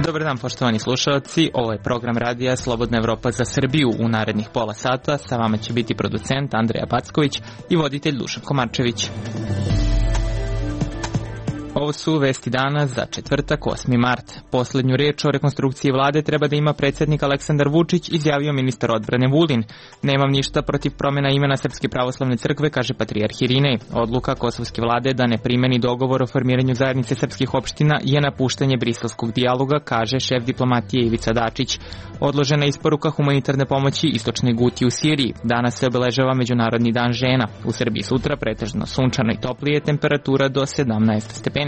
Dobar dan, poštovani slušalci, ovo je program radija Slobodna Evropa za Srbiju. U narednih pola sata sa vama će biti producent Andreja Packović i voditelj Dušan Komarčević. Ovo su vesti dana za četvrtak, 8. mart. Poslednju reč o rekonstrukciji vlade treba da ima predsjednik Aleksandar Vučić, izjavio ministar odbrane Vulin. Nemam ništa protiv promjena imena Srpske pravoslavne crkve, kaže patrijarh Irinej. Odluka kosovske vlade da ne primeni dogovor o formiranju zajednice srpskih opština je napuštanje briselskog dijaloga, kaže šef diplomatije Ivica Dačić. Odložena isporuka humanitarne pomoći istočnoj Guti u Siriji. Danas se obeležava Međunarodni dan žena. U Srbiji sutra pretežno sunčano i toplije, temperatura do 17 stepeni.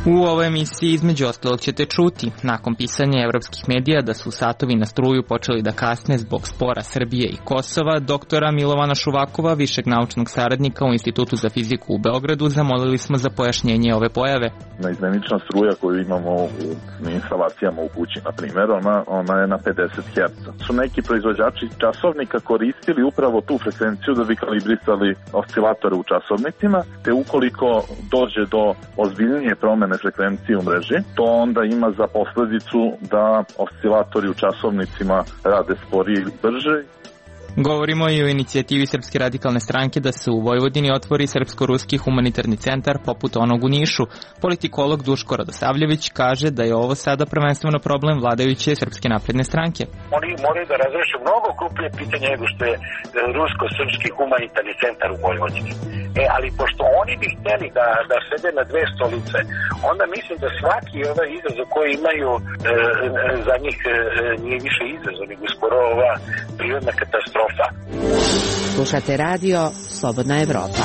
U ovoj emisiji između ostalog ćete čuti nakon pisanja evropskih medija da su satovi na struju počeli da kasne zbog spora Srbije i Kosova. Doktora Milovana Šuvakova, višeg naučnog saradnika u Institutu za fiziku u Beogradu, zamolili smo za pojašnjenje ove pojave. Izmenična struja koju imamo u instalacijama u kući, na primjer, ona je na 50 Hz. Su neki proizvođači časovnika koristili upravo tu frekvenciju da bi kalibrisali oscilatore u časovnicima, te ukoliko dođe do ozbiljnije promene frekvencije u mreži, to onda ima za posledicu da oscilatori u časovnicima rade sporije i brže. Govorimo i o inicijativi Srpske radikalne stranke da se u Vojvodini otvori srpsko-ruski humanitarni centar poput onog u Nišu. Politikolog Duško Radosavljević kaže da je ovo sada prvenstveno problem vladajuće Srpske napredne stranke. Oni moraju da razreše mnogo krupnije pitanje nego što je rusko-srpski humanitarni centar u Vojvodini. Ali pošto oni bi htjeli da sede na dve stolice, onda mislim da svaki ovaj izazov koji imaju za njih nije više izazov, nego skoro ova prirodna katastrofa. Slušate radio Slobodna Evropa.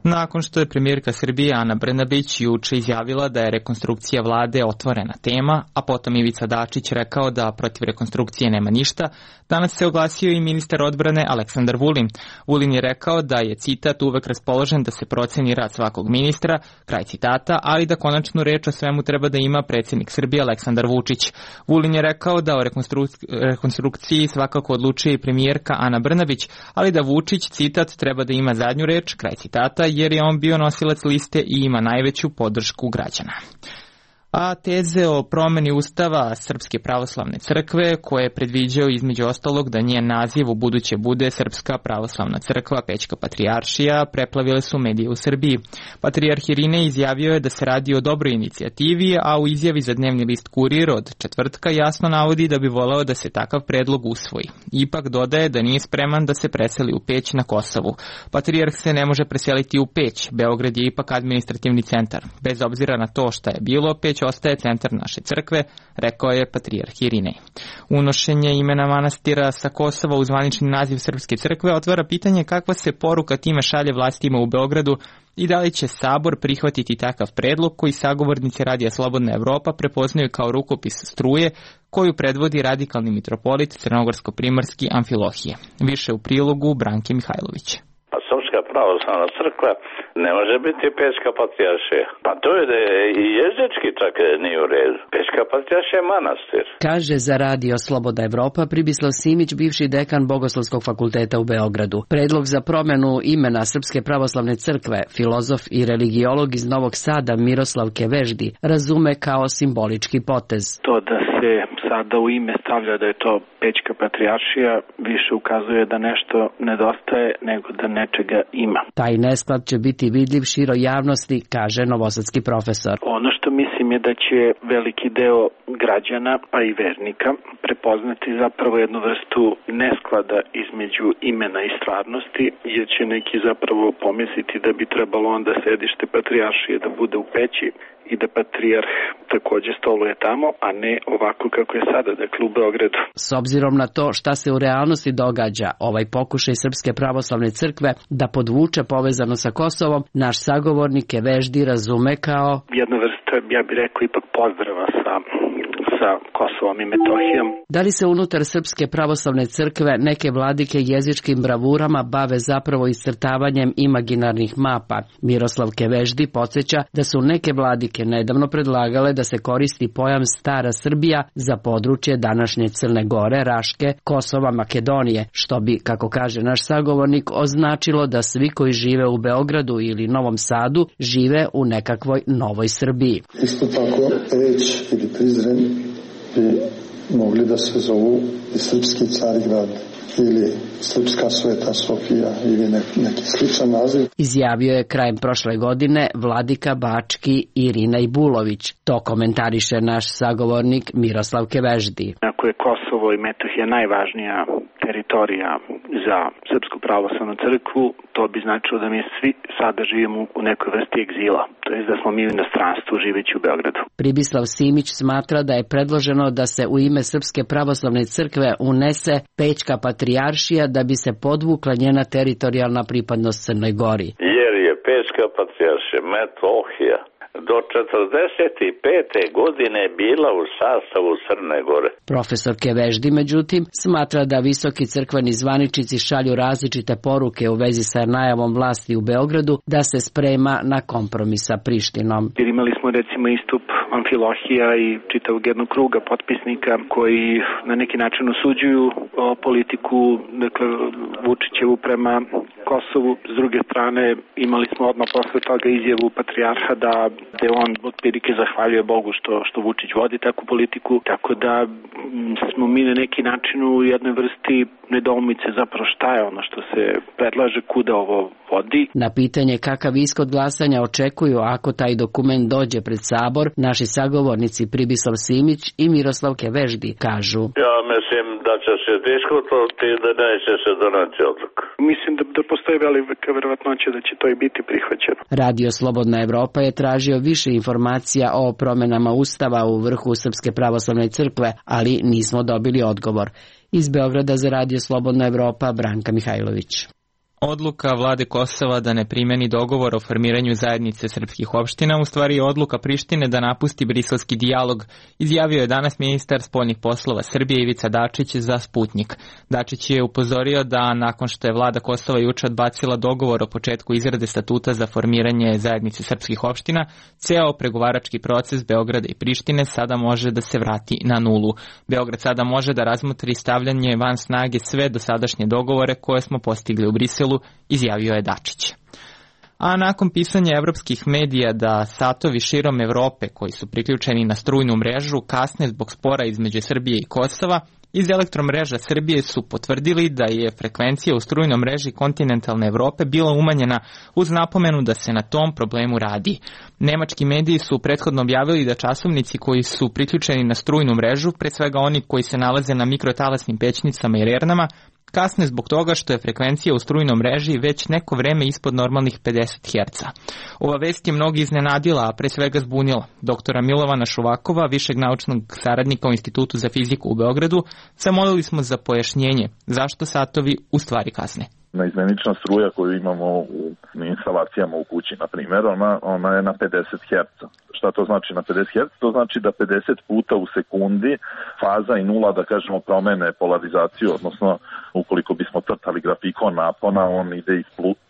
Nakon što je premijerka Srbije Ana Brnabić juče izjavila da je rekonstrukcija vlade otvorena tema, a potom Ivica Dačić rekao da protiv rekonstrukcije nema ništa, danas se oglasio i ministar odbrane Aleksandar Vulin. Vulin je rekao da je, citat, uvek raspoložen da se proceni rad svakog ministra, kraj citata, ali da konačnu reč o svemu treba da ima predsjednik Srbije Aleksandar Vučić. Vulin je rekao da o rekonstrukciji svakako odlučuje i premijerka Ana Brnabić, ali da Vučić, citat, treba da ima zadnju reč, kraj citata, jer je on bio nosilac liste i ima najveću podršku građana. A teze o promjeni ustava Srpske pravoslavne crkve, koje je predviđao između ostalog da njen naziv u buduće bude Srpska pravoslavna crkva Pećka patrijaršija, preplavile su medije u Srbiji. Patrijarh Irinej izjavio je da se radi o dobroj inicijativi, a u izjavi za dnevni list Kurir od četvrtka jasno navodi da bi voleo da se takav predlog usvoji. Ipak dodaje da nije spreman da se preseli u Peć na Kosovu. Patrijarh se ne može preseliti u Peć, Beograd je ipak administrativni centar. Bez obzira na to šta je bilo, Peć ostaje centar naše crkve, rekao je patrijarh Irinej. Unošenje imena manastira sa Kosova u zvanični naziv Srpske crkve otvara pitanje kakva se poruka time šalje vlastima u Beogradu i da li će Sabor prihvatiti takav predlog koji sagovornici Radija Slobodna Evropa prepoznaju kao rukopis struje koju predvodi radikalni mitropolit crnogorsko-primorski Amfilohije. Više u prilogu Branke Mihajlović. Srpska pravoslavna crkva ne može biti Pećka patrijaršija. Pa to je da je i jezički čak nije u redu. Pećka patrijaršija je manastir. Kaže za Radio Slobodna Evropa Pribislav Simić, bivši dekan Bogoslovskog fakulteta u Beogradu. Predlog za promjenu imena Srpske pravoslavne crkve filozof i religiolog iz Novog Sada Miroslav Keveždi razume kao simbolički potez. To da se sada u ime stavlja da je to Pećka patrijaršija više ukazuje da nešto nedostaje nego da nečega ima. Taj nesklad će biti vidljiv široj javnosti, kaže novosadski profesor. Ono što mislim je da će veliki deo građana, a i vernika, prepoznati zapravo jednu vrstu nesklada između imena i stvarnosti, jer će neki zapravo pomisliti da bi trebalo onda sedište patrijaršije da bude u Peći i da patrijarh također stoluje tamo, a ne ovako kako je sada, dakle u Beogradu. S obzirom na to šta se u realnosti događa, ovaj pokušaj Srpske pravoslavne crkve da podvuče povezano sa Kosovom, naš sagovornik Keveždi razume kao jedna vrsta, ja bih rekao, ipak pozdrava sa sa Kosovom i Metohijom. Da li se unutar Srpske pravoslavne crkve neke vladike jezičkim bravurama bave zapravo iscrtavanjem imaginarnih mapa? Miroslav Keveždi podsjeća da su neke vladike nedavno predlagale da se koristi pojam Stara Srbija za područje današnje Crne Gore, Raške, Kosova, Makedonije, što bi, kako kaže naš sagovornik, označilo da svi koji žive u Beogradu ili Novom Sadu žive u nekakvoj novoj Srbiji. Isto tako, Peć ili Prizren bi mogli da se zovu i Srpski Carigrad ili Srpska Sveta Sofija ili neki sličan naziv. Izjavio je krajem prošle godine vladika Bački Irina Ibulović. To komentariše naš sagovornik Miroslav Keveždi. Ako je Kosovo i Metohija najvažnija teritorija za Srpsku pravoslavnu crkvu, to bi značilo da mi svi sada živimo u nekoj vrsti egzila, to je da smo mi u inostranstvu živeći u Beogradu. Pribislav Simić smatra da je predloženo da se u ime Srpske pravoslavne crkve unese Pećka patrijaršija da bi se podvukla njena teritorijalna pripadnost Crnoj Gori. Jer je Pećka patrijaršija Metohija do 45. godine bila u sastavu Crne Gore. Profesor Keveždi, međutim, smatra da visoki crkveni zvaničnici šalju različite poruke u vezi sa najavom vlasti u Beogradu da se sprema na kompromis sa Prištinom. Jer imali smo recimo istup Amfilohija i čitavog jednog kruga potpisnika koji na neki način osuđuju politiku, dakle, Vučićevu prema Kosovu. S druge strane, imali smo odmah posle toga izjavu patrijarha da on otprilike zahvaljuje Bogu što Vučić vodi takvu politiku, tako da smo mi na neki način u jednoj vrsti nedoumice zapravo šta je ono što se predlaže, kuda ovo vodi. Na pitanje kakav ishod glasanja očekuju ako taj dokument dođe pred Sabor, naši sagovornici Pribislav Simić i Miroslav Keveždi kažu: Ja mislim da će se diskutovati i da neće se donati odluka. Mislim da postoji velika verovatnoća da će to i biti prihvaćeno. Radio Slobodna Evropa je tražio više informacija o promenama Ustava u vrhu Srpske pravoslavne crkve, ali nismo dobili odgovor. Iz Beograda za Radio Slobodna Evropa, Branka Mihajlović. Odluka vlade Kosova da ne primeni dogovor o formiranju zajednice srpskih opština u stvari je odluka Prištine da napusti briselski dijalog, izjavio je danas ministar spoljnih poslova Srbije Ivica Dačić za Sputnjik. Dačić je upozorio da nakon što je vlada Kosova juče odbacila dogovor o početku izrade statuta za formiranje zajednice srpskih opština, ceo pregovarački proces Beograda i Prištine sada može da se vrati na nulu. Beograd sada može da razmotri stavljanje van snage sve dosadašnje dogovore koje smo postigli u Briselu, izjavio je Dačić. A nakon pisanja evropskih medija da satovi širom Evrope koji su priključeni na strujnu mrežu kasne zbog spora između Srbije i Kosova, iz Elektromreža Srbije su potvrdili da je frekvencija u strujnoj mreži kontinentalne Evrope bila umanjena uz napomenu da se na tom problemu radi. Nemački mediji su prethodno objavili da časovnici koji su priključeni na strujnu mrežu, pre svega oni koji se nalaze na mikrotalasnim pećnicama i rernama, kasne zbog toga što je frekvencija u strujnoj mreži već neko vreme ispod normalnih 50 Hz. Ova vest je mnogi iznenadila, a pre svega zbunila. Doktora Milovana Šuvakova, višeg naučnog saradnika u Institutu za fiziku u Beogradu, zamolili smo za pojašnjenje zašto satovi u stvari kasne. Naizmenična struja koju imamo u instalacijama u kući, na primjer, ona je na 50 Hz. Šta to znači na 50 Hz? To znači da 50 puta u sekundi faza i nula, da kažemo, promene polarizaciju, odnosno ukoliko bismo crtali grafikon napona, on ide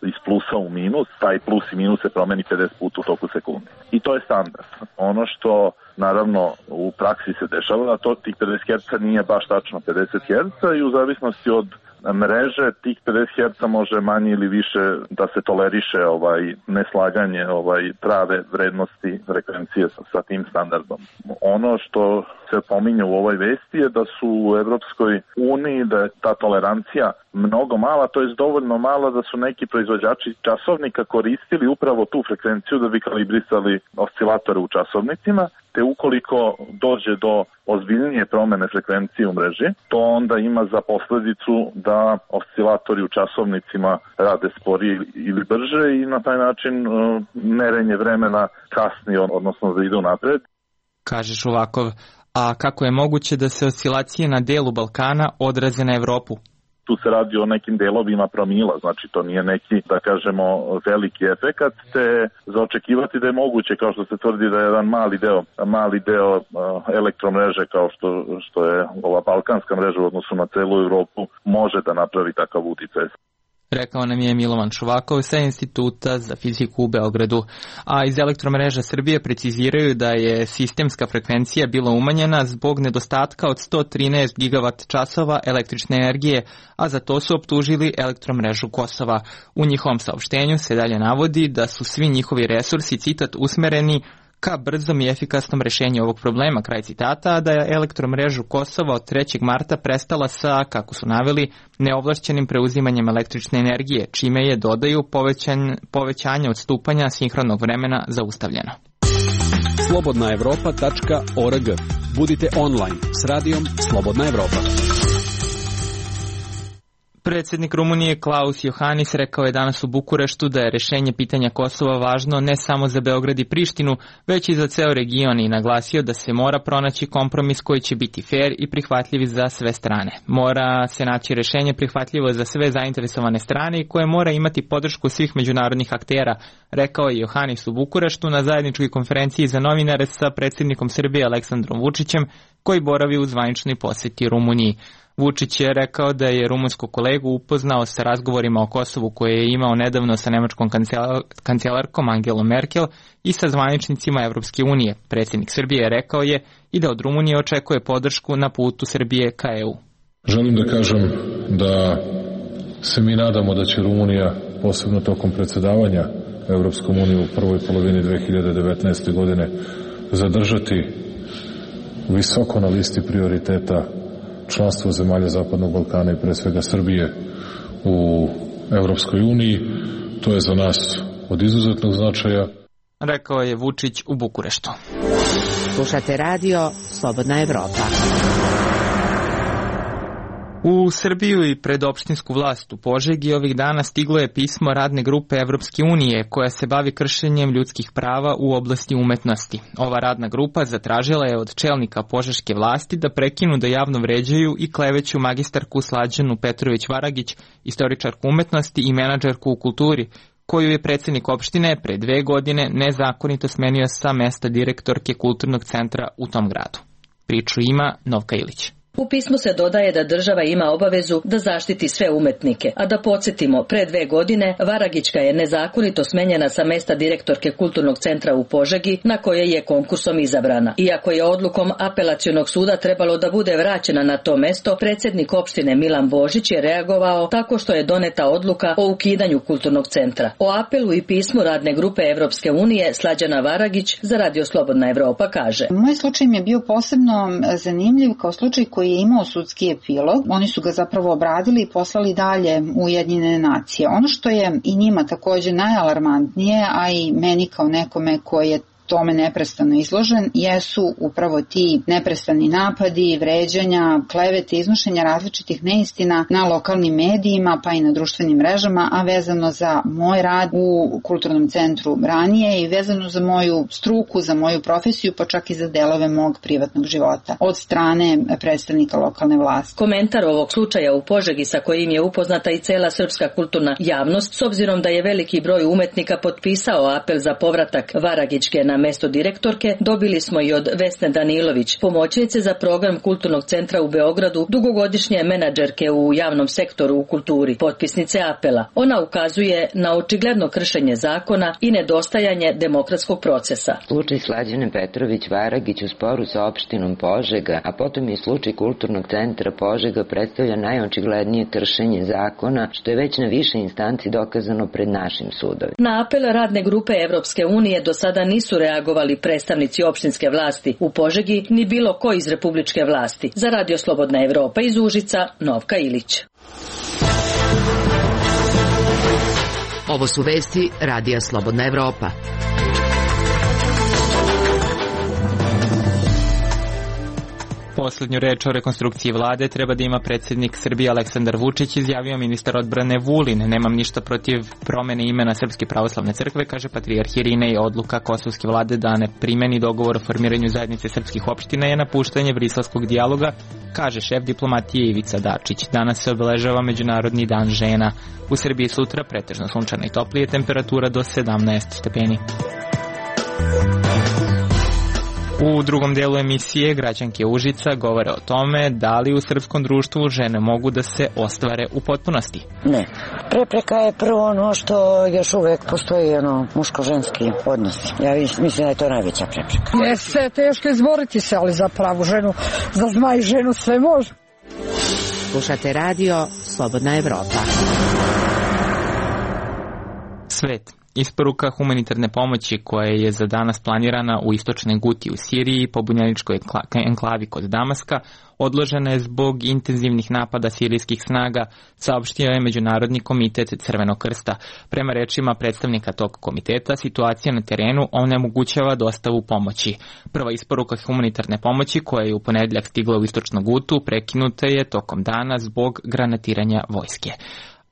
iz plusa u minus, taj plus i minus se promeni 50 puta u toku sekundi. I to je standard. Ono što naravno u praksi se dešava, da to tih 50 Hz nije baš tačno 50 Hz i u zavisnosti od mreže tih 50 Hz može manje ili više da se toleriše neslaganje prave vrednosti frekvencije sa tim standardom. Ono što se pominje u ovoj vesti je da su u Evropskoj uniji, da je ta tolerancija mnogo mala, to je dovoljno mala da su neki proizvođači časovnika koristili upravo tu frekvenciju da bi kalibrisali oscilatore u časovnicima, te ukoliko dođe do ozbiljnije promene frekvencije u mreži, to onda ima za posledicu da oscilatori u časovnicima rade sporije ili brže i na taj način merenje vremena kasni, odnosno da ide napred. Kaže Šuvakov, a kako je moguće da se oscilacije na delu Balkana odraze na Evropu? tu se radi o nekim delovima promila, znači to nije neki, da kažemo, veliki efekat, te za očekivati da je moguće, kao što se tvrdi da je jedan mali deo elektromreže, kao što je ova balkanska mreža u odnosu na celu Evropu, može da napravi takav uticaj. Rekao nam je Milovan Čuvakov sa Instituta za fiziku u Beogradu. A iz Elektromreža Srbije preciziraju da je sistemska frekvencija bila umanjena zbog nedostatka od 113 gigavat časova električne energije, a za to su optužili Elektromrežu Kosova. U njihovom saopštenju se dalje navodi da su svi njihovi resursi, citat, usmereni ka brzom i efikasnom rešenju ovog problema, kraj citata, a da je Elektromrežu Kosova od 3. marta prestala sa, kako su naveli, neovlašćenim preuzimanjem električne energije, čime je, dodaju, povećanje odstupanja sinhronog vremena zaustavljeno. Slobodnaevropa.org. Budite online s radijom Slobodna Evropa. Predsjednik Rumunije Klaus Iohannis rekao je danas u Bukureštu da je rešenje pitanja Kosova važno ne samo za Beograd i Prištinu, već i za ceo region i naglasio da se mora pronaći kompromis koji će biti fair i prihvatljiv za sve strane. Mora se naći rešenje prihvatljivo za sve zainteresovane strane i koje mora imati podršku svih međunarodnih aktera, rekao je Iohannis u Bukureštu na zajedničkoj konferenciji za novinare sa predsjednikom Srbije Aleksandrom Vučićem, koji boravi u zvaničnoj poseti Rumuniji. Vučić je rekao da je rumunskog kolegu upoznao sa razgovorima o Kosovu koje je imao nedavno sa nemačkom kancelarkom Angelom Merkel i sa zvaničnicima Evropske unije. Predsjednik Srbije rekao je i da od Rumunije očekuje podršku na putu Srbije ka EU. Želim da kažem da se mi nadamo da će Rumunija, posebno tokom predsjedavanja Evropskom unijom u prvoj polovini 2019. godine, zadržati visoko na listi prioriteta članstvo zemalja Zapadnog Balkana i pre svega Srbije u Evropskoj uniji. To je za nas od izuzetnog značaja. Rekao je Vučić u Bukureštu. Slušate radio Slobodna Evropa. U Srbiju i pred opštinsku vlast u Požegi ovih dana stiglo je pismo radne grupe Evropske unije koja se bavi kršenjem ljudskih prava u oblasti umetnosti. Ova radna grupa zatražila je od čelnika požeške vlasti da prekinu da javno vređaju i kleveću magistarku Slađanu Petrović-Varagić, istoričarku umetnosti i menadžerku u kulturi, koju je predsjednik opštine pre 2 godine nezakonito smenio sa mesta direktorke kulturnog centra u tom gradu. Priču ima Novka Ilić. U pismu se dodaje da država ima obavezu da zaštiti sve umetnike, a da podsjetimo, pre 2 godine Varagićka je nezakonito smenjena sa mesta direktorke kulturnog centra u Požegi, na koje je konkursom izabrana. Iako je odlukom apelacionog suda trebalo da bude vraćena na to mesto, predsjednik opštine Milan Božić je reagovao tako što je doneta odluka o ukidanju kulturnog centra. O apelu i pismu radne grupe Evropske unije Slađana Varagić za Radio Slobodna Evropa kaže: Moj slučaj mi je bio posebno zanimljiv kao slučaj koji je imao sudski epilog. Oni su ga zapravo obradili i poslali dalje u Ujedinjene nacije. Ono što je i njima također najalarmantnije, a i meni kao nekome koji je tome neprestano izložen, jesu upravo ti neprestani napadi, vređanja, klevete, iznošenja različitih neistina na lokalnim medijima pa i na društvenim mrežama, a vezano za moj rad u kulturnom centru ranije i vezano za moju struku, za moju profesiju, pa čak i za delove mog privatnog života od strane predstavnika lokalne vlasti. Komentar ovog slučaja u Požegi, sa kojim je upoznata i cela srpska kulturna javnost, s obzirom da je veliki broj umetnika potpisao apel za povratak Varagićke na mesto direktorke, dobili smo i od Vesne Danilović, pomoćnice za program Kulturnog centra u Beogradu, dugogodišnje menadžerke u javnom sektoru u kulturi, potpisnice apela. Ona ukazuje na očigledno kršenje zakona i nedostajanje demokratskog procesa. Slučaj Slađane Petrović-Varagić u sporu sa opštinom Požega, a potom i slučaj Kulturnog centra Požega predstavlja najočiglednije kršenje zakona, što je već na više instanci dokazano pred našim sudovima. Na apel radne grupe Evropske unije do sada nisu reagovali predstavnici opštinske vlasti u Požegi ni bilo ko iz republičke vlasti. Za Radio Slobodna Evropa iz Užica, Novka Ilić. Ovo su vesti Radija Slobodna Evropa. Poslednju reč o rekonstrukciji vlade treba da ima predsjednik Srbije Aleksandar Vučić, izjavio ministar odbrane Vulin. Nemam ništa protiv promene imena Srpske pravoslavne crkve, kaže patrijarh Irinej. Odluka kosovske vlade da ne primeni dogovor o formiranju zajednice srpskih opština je napuštanje briselskog dijaloga, kaže šef diplomatije Ivica Dačić. Danas se obeležava Međunarodni dan žena. U Srbiji sutra pretežno sunčana i toplije, temperatura do 17 stepeni. U drugom delu emisije građanke Užica govore o tome da li u srpskom društvu žene mogu da se ostvare u potpunosti. Ne. Prepreka je prvo ono što još uvek postoji muško-ženski odnos. Ja mislim da je to najveća prepreka. Jeste, teško izboriti se, ali za pravu ženu, za zmaj ženu sve može. Slušate radio Slobodna Evropa. Svet. Isporuka humanitarne pomoći koja je za danas planirana u istočnoj Guti u Siriji i pobunjeničkoj enklavi kod Damaska odložena je zbog intenzivnih napada sirijskih snaga, saopštio je Međunarodni komitet Crvenog krsta. Prema rečima predstavnika tog komiteta, situacija na terenu onemogućava dostavu pomoći. Prva isporuka humanitarne pomoći koja je u ponedjeljak stigla u istočnu Gutu prekinuta je tokom dana zbog granatiranja vojske.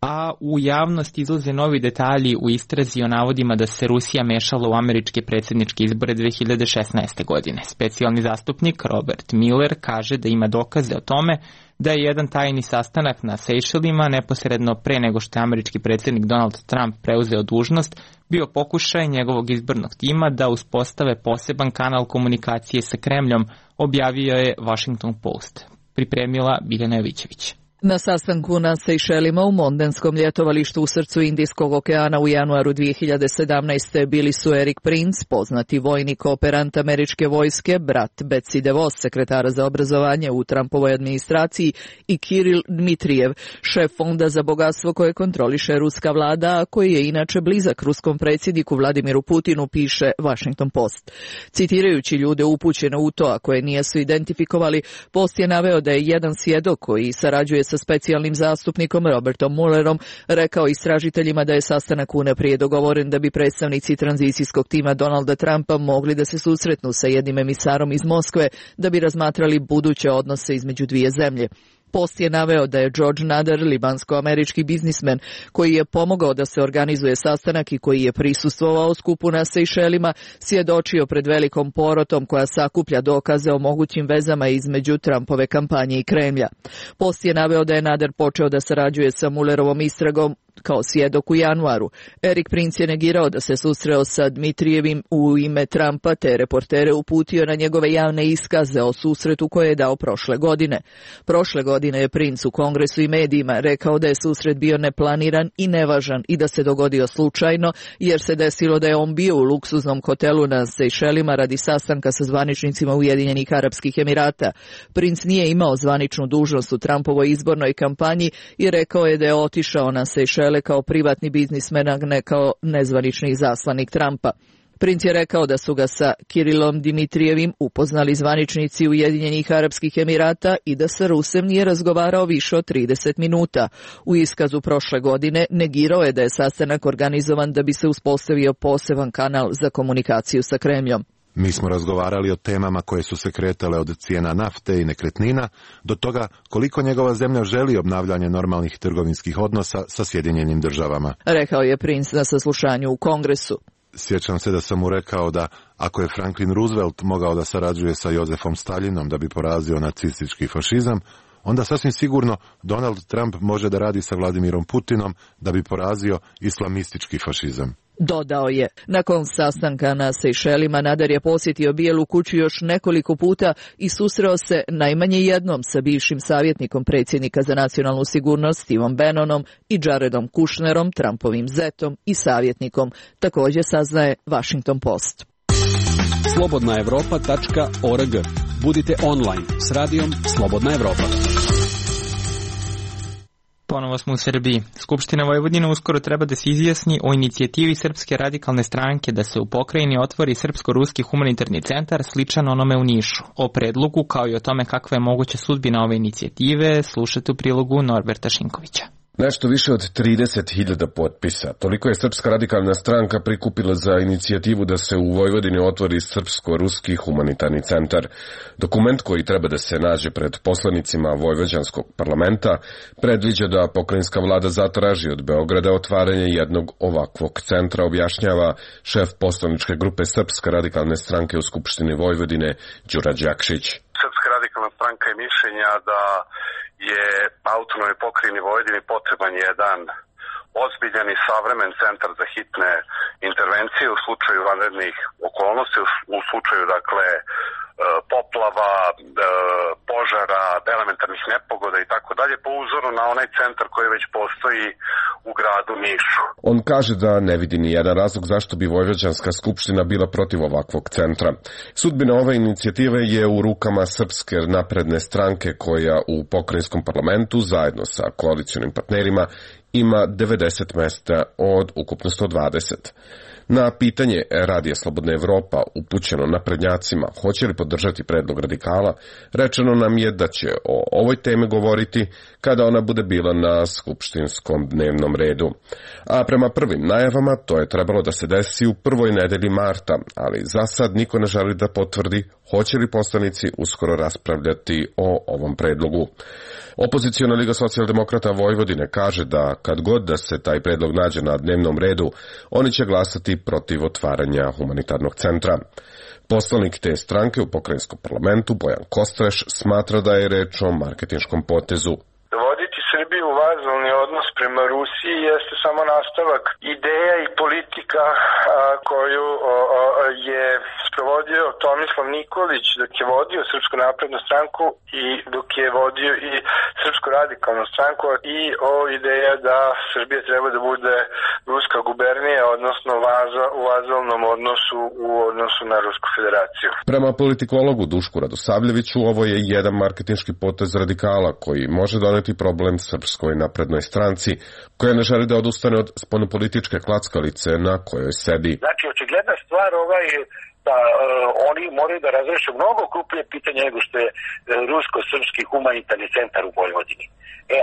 A u javnost izlaze novi detalji u istrazi o navodima da se Rusija mešala u američke predsjedničke izbore 2016. godine. Specijalni zastupnik Robert Mueller kaže da ima dokaze o tome da je jedan tajni sastanak na Sejšelima neposredno pre nego što je američki predsjednik Donald Trump preuzeo dužnost bio pokušaj njegovog izbornog tima da uspostave poseban kanal komunikacije sa Kremljom, objavio je Washington Post. Pripremila Biljana Jovićević. Na sastanku na Sejšelima u Mondenskom ljetovalištu u srcu Indijskog okeana u januaru 2017. bili su Erik Prince, poznati vojni kooperant američke vojske, brat Betsy DeVos, sekretara za obrazovanje u Trumpovoj administraciji, i Kiril Dmitrijev, šef fonda za bogatstvo koje kontroliše ruska vlada, a koji je inače blizak ruskom predsjedniku Vladimiru Putinu, piše Washington Post. Citirajući ljude upućene u to, a koje nisu identifikovali, Post je naveo da je jedan svjedok koji sarađuje sa specijalnim zastupnikom Robertom Muellerom rekao istražiteljima da je sastanak unaprijed dogovoren da bi predstavnici tranzicijskog tima Donalda Trumpa mogli da se susretnu sa jednim emisarom iz Moskve da bi razmatrali buduće odnose između dvije zemlje. Post je naveo da je George Nader, libansko-američki biznismen, koji je pomogao da se organizuje sastanak i koji je prisustvovao skupu na Sejšelima, svjedočio pred velikom porotom koja sakuplja dokaze o mogućim vezama između Trumpove kampanje i Kremlja. Post je naveo da je Nader počeo da sarađuje sa Muellerovom istragom kao svjedok u januaru. Erik Prince je negirao da se susreo sa Dmitrijevim u ime Trumpa, te reportere uputio na njegove javne iskaze o susretu koje je dao prošle godine. Prošle godine je Prince u Kongresu i medijima rekao da je susret bio neplaniran i nevažan i da se dogodio slučajno, jer se desilo da je on bio u luksuznom hotelu na Sejšelima radi sastanka sa zvaničnicima Ujedinjenih Arapskih Emirata. Prince nije imao zvaničnu dužnost u Trumpovoj izbornoj kampanji i rekao je da je otišao na Sejšele kao privatni biznismen, a ne kao nezvanični izaslanik Trumpa. Prince je rekao da su ga sa Kirilom Dmitrijevim upoznali zvaničnici Ujedinjenih Arapskih Emirata i da sa Rusem nije razgovarao više od 30 minuta. U iskazu prošle godine negirao je da je sastanak organizovan da bi se uspostavio poseban kanal za komunikaciju sa Kremljom. Mi smo razgovarali o temama koje su se kretale od cijena nafte i nekretnina do toga koliko njegova zemlja želi obnavljanje normalnih trgovinskih odnosa sa Sjedinjenim državama, rekao je Prince na saslušanju u Kongresu. Sjećam se da sam mu rekao da ako je Franklin Roosevelt mogao da sarađuje sa Jozefom Staljinom da bi porazio nacistički fašizam, onda sasvim sigurno Donald Trump može da radi sa Vladimirom Putinom da bi porazio islamistički fašizam. Dodao je. Nakon sastanka na Sejšelima Nader je posjetio Bijelu kuću još nekoliko puta i susreo se najmanje jednom sa bivšim savjetnikom predsjednika za nacionalnu sigurnost Stevom Bannonom i Jaredom Kushnerom, Trumpovim zetom i savjetnikom, također saznaje Washington Post. Slobodnaevropa.org. Budite online s radijom Slobodna Evropa. Ponovo smo u Srbiji. Skupština Vojvodine uskoro treba da se izjasni o inicijativi Srpske radikalne stranke da se u pokrajini otvori Srpsko-ruski humanitarni centar sličan onome u Nišu. O predlogu kao i o tome kakva je moguća sudbina ove inicijative slušate u prilogu Norberta Šinkovića. Nešto više od 30.000 potpisa. Toliko je Srpska radikalna stranka prikupila za inicijativu da se u Vojvodini otvori Srpsko-ruski humanitarni centar. Dokument koji treba da se nađe pred poslanicima Vojvođanskog parlamenta predviđa da pokrajinska vlada zatraži od Beograda otvaranje jednog ovakvog centra, objašnjava šef poslaničke grupe Srpske radikalne stranke u Skupštini Vojvodine Đura Đakšić. Srpska radikalna stranka je mišljenja da je autonomnoj pokrajini Vojvodini potreban jedan ozbiljan i savremen centar za hitne intervencije u slučaju vanrednih okolnosti, u slučaju poplava, požara, elementarnih nepogoda i tako dalje, po uzoru na onaj centar koji već postoji u gradu Nišu. On kaže da ne vidi ni jedan razlog zašto bi Vojvođanska skupština bila protiv ovakvog centra. Sudbina ove inicijative je u rukama Srpske napredne stranke koja u pokrajinskom parlamentu zajedno sa koalicionim partnerima ima 90 mesta od ukupno 120. Na pitanje Radija Slobodna Evropa upućeno naprednjacima hoće li podržati predlog radikala, rečeno nam je da će o ovoj temi govoriti kada ona bude bila na skupštinskom dnevnom redu. A prema prvim najavama to je trebalo da se desi u prvoj nedelji marta, ali za sad niko ne želi da potvrdi hoće li poslanici uskoro raspravljati o ovom predlogu. Opoziciona Liga socijaldemokrata Vojvodine kaže da kad god da se taj predlog nađe na dnevnom redu, oni će glasati protiv otvaranja humanitarnog centra. Poslanik te stranke u pokrajinskom parlamentu Bojan Kostreš smatra da je reč o marketinškom potezu. Voditi Srbiju u vazalni odnos prema Rusiji jeste samo nastavak ideja i politika koju je sprovodio Tomislav Nikolić dok je vodio Srpsku naprednu stranku i dok je vodio i Srpsku radikalnu stranku, i ideja da Srbija treba da bude ruska gubernija, odnosno u vazalnom odnosu u odnosu na Rusku federaciju. Prema politikologu Dušku Radosavljeviću, ovo je jedan marketinški potez radikala koji može doneti problem Srpskoj naprednoj stranci, koja ne želi da odustane od spoljnopolitičke klackalice na kojoj sedi. Znači, očigledna stvar da oni moraju da razreše mnogo krupnije pitanje nego što je rusko-srpski humanitarni centar u Vojvodini.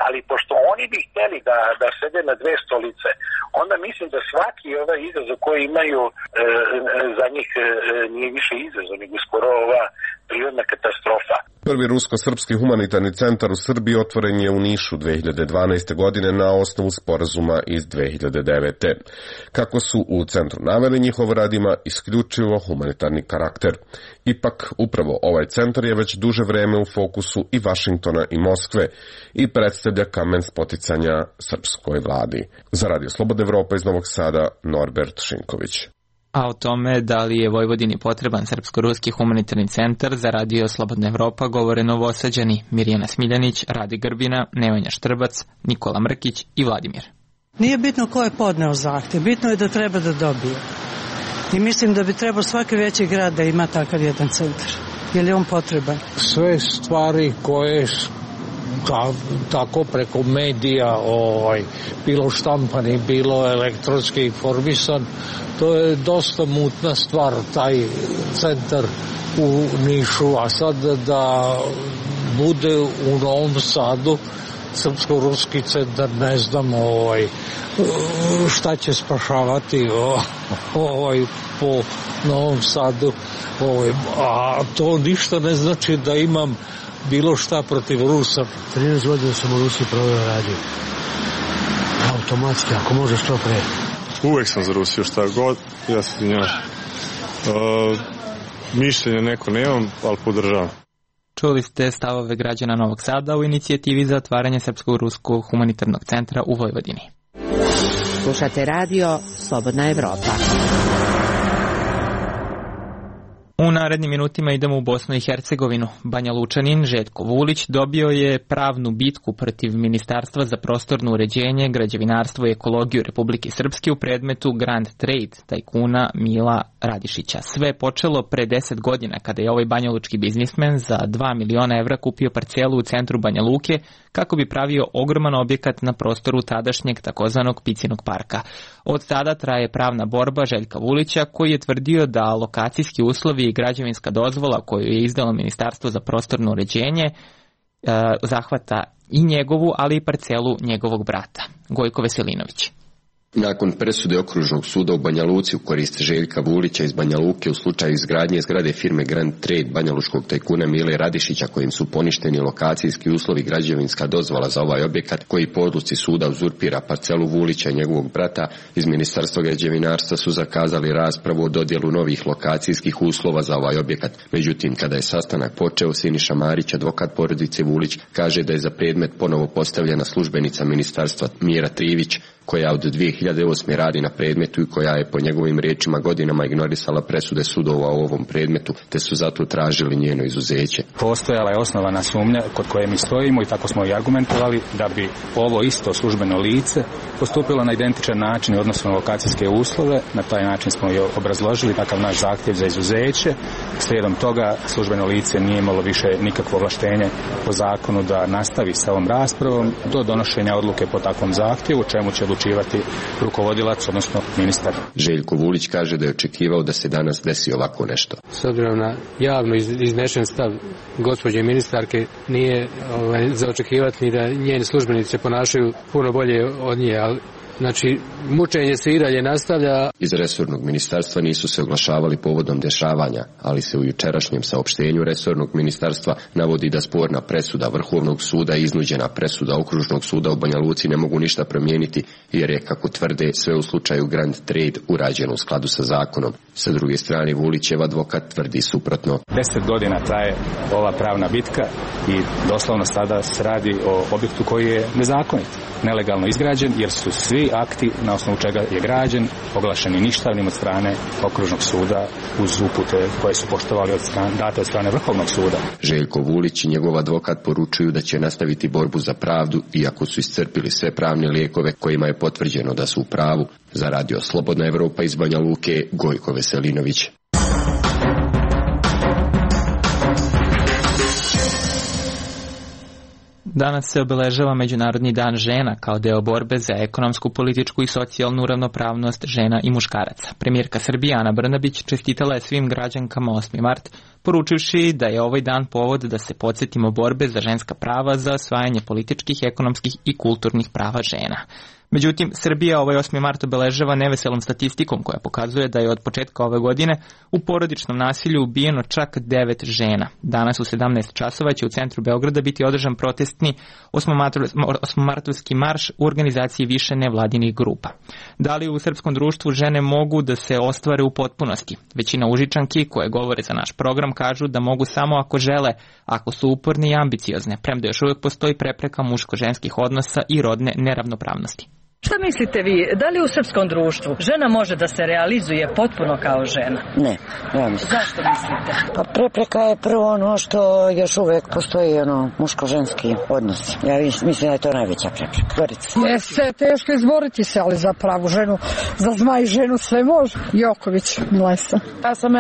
Ali pošto oni bi hteli da sede na dve stolice, onda mislim da svaki ovaj izazov koji imaju za njih nije više izazov, nego skoro ova prirodna katastrofa. Prvi rusko-srpski humanitarni centar u Srbiji otvoren je u Nišu 2012. godine na osnovu sporazuma iz 2009. Kako su u centru naveli, njihov rad ima isključivo humanitarni karakter. Ipak, upravo ovaj centar je već duže vreme u fokusu i Vašingtona i Moskve i predstavlja kamen spoticanja srpskoj vladi. Za Radio Slobodna Evropa iz Novog Sada, Norbert Šinković. A o tome da li je Vojvodini potreban Srpsko-ruski humanitarni centar za Radio Slobodna Evropa govore Novosađani Mirjana Smiljanić, Radi Grbina, Nevanja Štrbac, Nikola Mrkić i Vladimir. Nije bitno ko je podneo zahtev, bitno je da treba da dobije. I mislim da bi trebao svaki veći grad da ima takav jedan centar. Je li on potreban? Sve stvari koje tako preko medija, bilo štampani, bilo elektronski informisan, to je dosta mutna stvar, taj centar u Nišu, a sad da bude u Novom Sadu srpsko-ruski centar, ne znam šta će spašavati po Novom Sadu, a to ništa ne znači da imam bilo šta protiv Rusa. 13 godina sam u Rusiji proveo radio. Automatski, ako može što pre. Uvek sam za Rusiju, šta god, ja se tinjam. Mišljenja neko nemam, ali podržavam. Čuli ste stavove građana Novog Sada u inicijativi za otvaranje Srpsko-ruskog humanitarnog centra u Vojvodini. Slušate radio Slobodna Evropa. U narednim minutima idemo u Bosnu i Hercegovinu. Banja Lučanin Željko Vulić dobio je pravnu bitku protiv Ministarstva za prostorno uređenje, građevinarstvo i ekologiju Republike Srpske u predmetu Grand Trade tajkuna Mila Radišića. Sve je počelo pre 10 godina kada je ovaj banjalučki biznismen za 2 miliona evra kupio parcelu u centru Banja Luke kako bi pravio ogroman objekat na prostoru tadašnjeg takozvanog Picinog parka. Od tada traje pravna borba Željka Vulića koji je tvrdio da lokacijski uslovi i građevinska dozvola koju je izdalo Ministarstvo za prostorno uređenje zahvata i njegovu, ali i parcelu njegovog brata. Gojko Veselinović. Nakon presude Okružnog suda u Banja Luci u korist Željka Vulića iz Banja Luke u slučaju izgradnje zgrade firme Grand Trade banjaluškog tajkuna Mile Radišića, kojim su poništeni lokacijski uslovi i građevinska dozvola za ovaj objekat, koji po odluci suda uzurpira parcelu Vulića i njegovog brata, iz Ministarstva građevinarstva su zakazali raspravu o dodjelu novih lokacijskih uslova za ovaj objekat. Međutim, kada je sastanak počeo, Siniša Marić, advokat porodice Vulić, kaže da je za predmet ponovo postavljena službenica ministarstva Mira Trivić, koja od 2008. radi na predmetu i koja je po njegovim riječima godinama ignorisala presude sudova u ovom predmetu, te su zato tražili njeno izuzeće. Postojala je osnovana sumnja kod koje mi stojimo i tako smo i argumentovali da bi ovo isto službeno lice postupilo na identičan način i odnosno na lokacijske uslove. Na taj način smo i obrazložili takav naš zahtjev za izuzeće. Slijedom toga službeno lice nije imalo više nikakvo ovlaštenje po zakonu da nastavi sa ovom raspravom do donošenja odluke po takvom zahtjevu, čemu će odlučivati rukovodilac, odnosno ministar. Željko Vulić kaže da je očekivao da se danas desi ovako nešto. S obzirom na javno iznešen stav gospođe ministarke, nije za očekivati ni da njeni službenici se ponašaju puno bolje od nje, ali znači, mučenje se i dalje nastavlja. Iz resornog ministarstva nisu se oglašavali povodom dešavanja, ali se u jučerašnjem saopštenju resornog ministarstva navodi da sporna presuda Vrhovnog suda i iznuđena presuda Okružnog suda u Banja Luci ne mogu ništa promijeniti, jer je, kako tvrde, sve u slučaju Grand Trade urađeno u skladu sa zakonom. Sa druge strane, Vulićev advokat tvrdi suprotno. 10 godina traje ova pravna bitka i doslovno sada se radi o objektu koji je nezakonit, nelegalno izgrađen, jer su svi akti na osnovu čega je građen oglašeni ništavnim od strane Okružnog suda uz upute koje su poštovali date od strane Vrhovnog suda. Željko Vulić i njegov advokat poručuju da će nastaviti borbu za pravdu, iako su iscrpili sve pravne lijekove kojima je potvrđeno da su u pravu. Za Radio Slobodna Evropa iz Banja Luke, Gojko Veselinović. Danas se obeležava Međunarodni dan žena kao deo borbe za ekonomsku, političku i socijalnu ravnopravnost žena i muškaraca. Premijerka Srbije Ana Brnabić čestitala je svim građankama 8. mart, poručivši da je ovaj dan povod da se podsjetimo borbe za ženska prava, za osvajanje političkih, ekonomskih i kulturnih prava žena. Međutim, Srbija ovaj 8. mart obeležava neveselom statistikom koja pokazuje da je od početka ove godine u porodičnom nasilju ubijeno čak 9 žena. Danas u 17 časova će u centru Beograda biti održan protestni 8-martovski marš u organizaciji više nevladinih grupa. Da li u srpskom društvu žene mogu da se ostvare u potpunosti? Većina Užičanki koje govore za naš program kažu da mogu samo ako žele, ako su uporne i ambiciozne, premda još uvijek postoji prepreka muško-ženskih odnosa i rodne neravnopravnosti. Šta mislite vi, da li u srpskom društvu žena može da se realizuje potpuno kao žena? Ne, ja mislim. Zašto mislite? Pa prepreka je prvo ono što još uvek postoji muško-ženski odnos. Ja mislim da je to najveća prepreka. Jeste, teško izboriti se, ali za pravu ženu, za zmaj ženu sve može. Joković, Milesa. Ja sam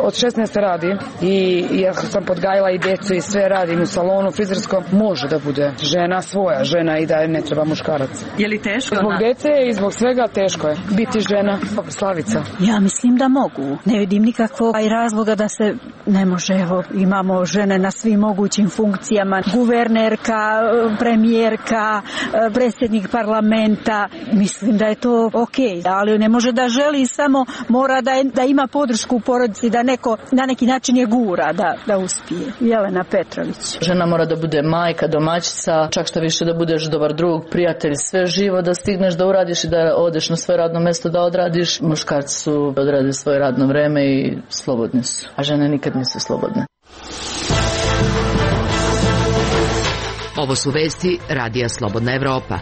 od 16 radim i ja sam podgajila i djecu i sve radim u salonu frizerskom. Može da bude žena svoja žena i da ne treba muškarac. Je li teško? Djece i zbog svega teško je biti žena. Slavica. Ja mislim da mogu. Ne vidim nikakvog razloga da se ne može. Evo, imamo žene na svim mogućim funkcijama. Guvernerka, premijerka, predsjednik parlamenta. Mislim da je to okej. Ali ne može da želi, samo mora da ima podršku u porodici, da neko na neki način je gura da uspije. Jelena Petrović. Žena mora da bude majka, domaćica, čak što više da budeš dobar drug, prijatelj, sve živo da stigneš da uradiš i da odeš na svoje radno mjesto da odradiš. Muškarci su odradili svoje radno vreme i slobodni su, a žene nikad nisu slobodne. Ovo su vesti Radija Slobodna Evropa.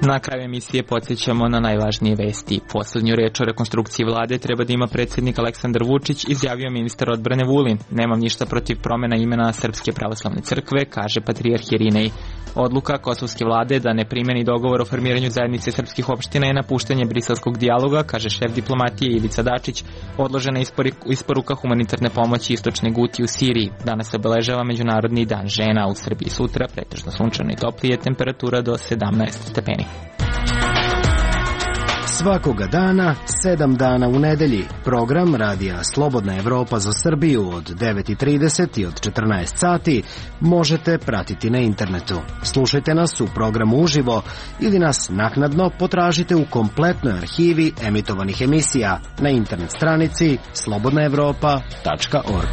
Na kraju emisije podsjećamo na najvažnije vesti. Poslednju reč o rekonstrukciji vlade treba da ima predsjednik Aleksandar Vučić, izjavio ministar odbrane Vulin. Nemam ništa protiv promjena imena Srpske pravoslavne crkve, kaže patrijarh Irinej. Odluka kosovske vlade da ne primeni dogovor o formiranju zajednice srpskih opština je napuštanje briselskog dijaloga, kaže šef diplomatije Ivica Dačić. Odložena isporuka humanitarne pomoći istočne Guti u Siriji. Danas se obeležava Međunarodni dan žena. U Srbiji sutra pretežno sunčano i toplije, temperatura do 17 stepeni. Svakoga dana, 7 dana u nedelji. Program Radija Slobodna Evropa za Srbiju od 9:30 i od 14 sati možete pratiti na internetu. Slušajte nas u programu uživo ili nas naknadno potražite u kompletnoj arhivi emitovanih emisija na internet stranici slobodnaevropa.org.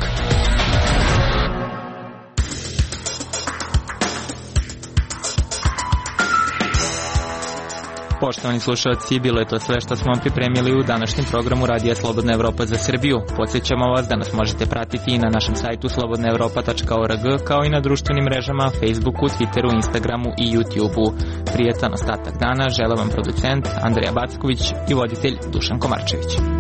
Poštovani slušalci, bilo je to sve što smo vam pripremili u današnjem programu Radija Slobodna Evropa za Srbiju. Podsjećamo vas da nas možete pratiti i na našem sajtu slobodnaevropa.org, kao i na društvenim mrežama Facebooku, Twitteru, Instagramu i YouTubeu. Prijetan ostatak dana žele vam producent Andreja Backović i voditelj Dušan Komarčević.